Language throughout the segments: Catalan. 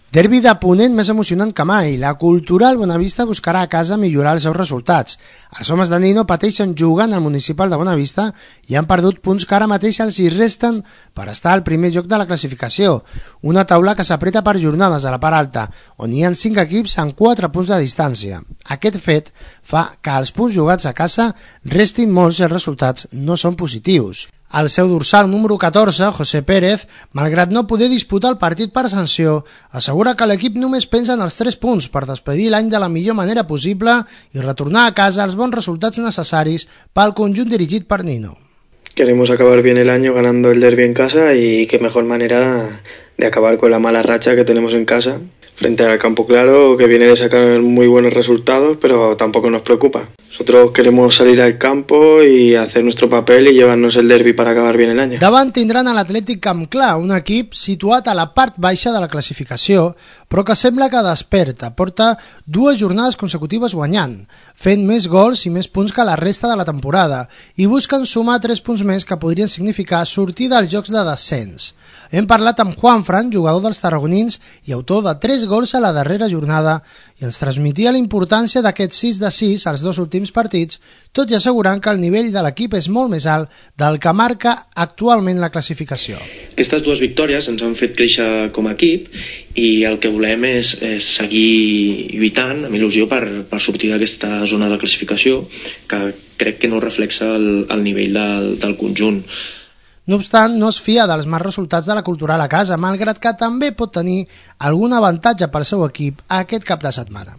Derbi de Ponent més emocionant que mai. La Cultural Bonavista buscarà a casa millorar els seus resultats. Els homes de Nino pateixen jugant al Municipal de Bonavista i han perdut punts que ara mateix els hi resten per estar al primer lloc de la classificació. Una taula que s'apreta per jornades a la part alta, on hi ha 5 equips amb 4 punts de distància. Aquest fet fa que els punts jugats a casa restin molts i els resultats no són positius. El seu dorsal número 14, José Pérez, malgrat no poder disputar el partit per sanció, assegura que l'equip només pensa en els 3 punts per despedir l'any de la millor manera possible i retornar a casa els bons resultats necessaris pel conjunt dirigit per Nino. Queremos acabar bien el año ganando el derbi en casa y qué mejor manera de acabar con la mala racha que tenemos en casa frente al Campo Claro, que viene de sacar muy buenos resultados, pero tampoco nos preocupa. Nosotros queremos salir al campo y hacer nuestro papel y llevarnos el derbi para acabar bien el año. Davant tindran a l'Atlètic Camp Clar, un equip situat a la part baixa de la classificació, però que sembla que desperta. Porta 2 jornades consecutives guanyant, fent més gols i més punts que la resta de la temporada, i busquen sumar 3 punts més que podrien significar sortir dels jocs de descens. Hem parlat amb Juanfran, jugador dels tarragonins i autor de 3 gols a la darrera jornada, i ens transmetia la importància d'aquests 6 de 6 als 2 últims partits, tot i assegurant que el nivell de l'equip és molt més alt del que marca actualment la classificació. Aquestes 2 victòries ens han fet créixer com a equip i el que volem és seguir lluitant amb il·lusió per sortir d'aquesta zona de classificació que crec que no reflexa el nivell del conjunt. No obstant, no es fia dels mals resultats de la Cultural a casa, malgrat que també pot tenir algun avantatge pel seu equip aquest cap de setmana.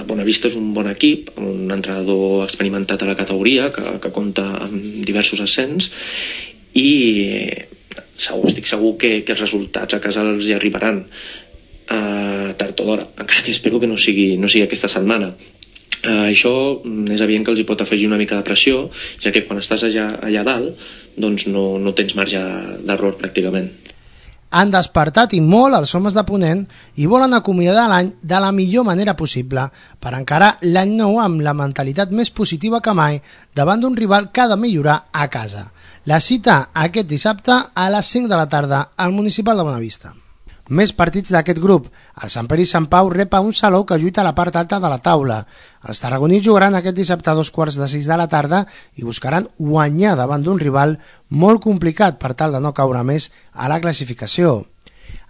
Bonavista és un bon equip, amb un entrenador experimentat a la categoria que compta amb diversos ascens i estic segur que els resultats a casa els hi arribaran tard o d'hora, encara que espero que no sigui aquesta setmana. Això és evident que els hi pot afegir una mica de pressió, ja que quan estàs allà dalt doncs no tens marge d'error pràcticament. Han despertat i molt els homes de Ponent i volen acomiadar l'any de la millor manera possible per encarar l'any nou amb la mentalitat més positiva que mai davant d'un rival que ha de millorar a casa. La cita aquest dissabte a les 5 de la tarda al Municipal de Bonavista. Més partits d'aquest grup. El Sant Pere i Sant Pau rep a un Salou que lluita a la part alta de la taula. Els tarragonins jugaran aquest dissabte a 2:45 de la tarda i buscaran guanyar davant d'un rival molt complicat per tal de no caure més a la classificació.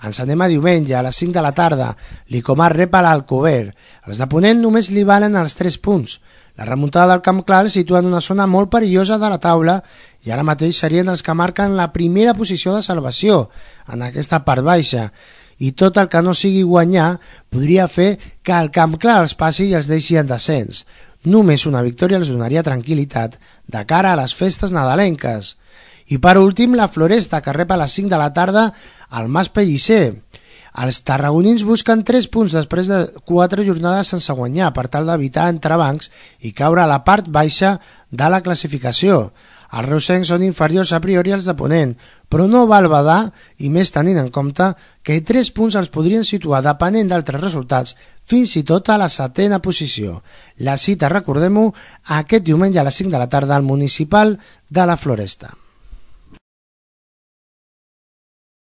Ens anem a diumenge a les 5 de la tarda. L'Icomar rep a l'Alcover. Els de Ponent només li valen els 3 punts. La remuntada del Camp Clar el situa en una zona molt perillosa de la taula i ara mateix serien els que marquen la primera posició de salvació en aquesta part baixa. I tot el que no sigui guanyar podria fer que el Camp Clar els passi i els deixi en descens. Només una victòria els donaria tranquil·litat de cara a les festes nadalenques. I per últim, la Floresta, que rep a les 5 de la tarda al Mas Pellicer. Els tarragonins busquen 3 punts després de 4 jornades sense guanyar per tal d'evitar entrebancs i caure a la part baixa de la classificació. Els reusencs són inferiors a priori als de Ponent, però no val badar, i més tenint en compte que 3 punts els podrien situar, depenent d'altres resultats, fins i tot a la 7ª posició. La cita, recordem-ho, aquest diumenge a les 5 de la tarda al Municipal de la Floresta.